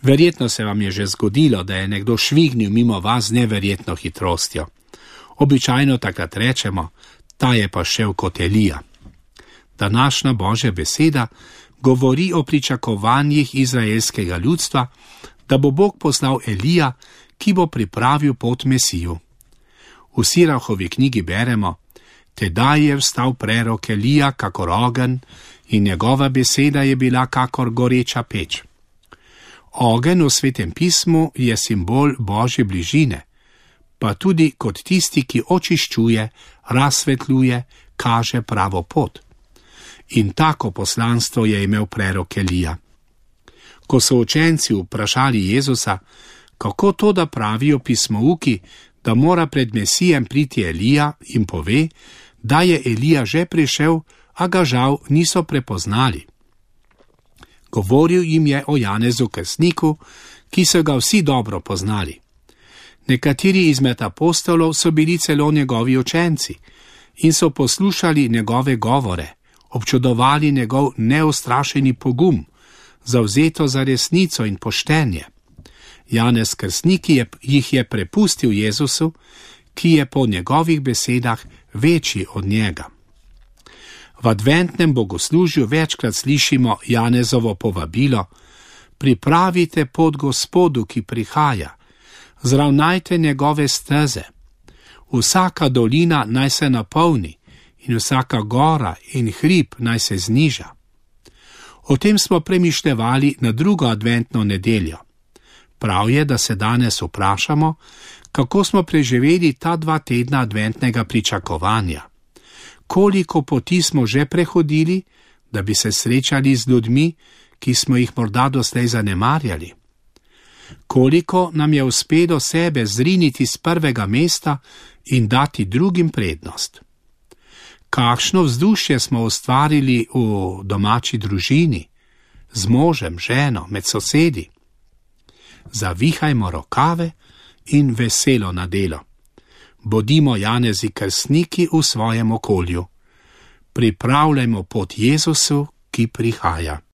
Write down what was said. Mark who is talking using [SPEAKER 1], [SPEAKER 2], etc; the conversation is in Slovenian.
[SPEAKER 1] Verjetno se vam je že zgodilo, da je nekdo švignil mimo vas z neverjetno hitrostjo. Običajno takrat rečemo, ta je pa šel kot Elija. Današnja Božja beseda govori o pričakovanjih izraelskega ljudstva, da bo Bog poslal Elija, ki bo pripravil pot Mesiju. V Sirahovi knjigi beremo, tedaj je vstal prerok Elija kakor ogenj in njegova beseda je bila kakor goreča peč. Ogenj v Svetem pismu je simbol Božje bližine, pa tudi kot tisti, ki očiščuje, razsvetljuje, kaže pravo pot. In tako poslanstvo je imel prerok Elija. Ko so učenci vprašali Jezusa, kako to, da pravijo pismouki, da mora pred Mesijem priti Elija, jim pove, da je Elija že prišel, a ga žal niso prepoznali. Govoril jim je o Janezu Krstniku, ki so ga vsi dobro poznali. Nekateri izmed apostolov so bili celo njegovi učenci in so poslušali njegove govore, občudovali njegov neustrašeni pogum, zavzeto za resnico in poštenje. Janez Krstnik jih je prepustil Jezusu, ki je po njegovih besedah večji od njega. V adventnem bogoslužju večkrat slišimo Janezovo povabilo: pripravite pot Gospodu, ki prihaja, zravnajte njegove steze. Vsaka dolina naj se napolni in vsaka gora in hrib naj se zniža. O tem smo premišljevali na drugo adventno nedeljo. Prav je, da se danes vprašamo, kako smo preživeli ta 2 tedna adventnega pričakovanja. Koliko poti smo že prehodili, da bi se srečali z ljudmi, ki smo jih morda doslej zanemarjali? Koliko nam je uspelo sebe zriniti z prvega mesta in dati drugim prednost? Kakšno vzdušje smo ustvarili v domači družini, z možem, ženo, med sosedi? Zavihajmo rokave in veselo na delo. Bodimo Janezi Krstniki v svojem okolju. Pripravljajmo pot Jezusu, ki prihaja.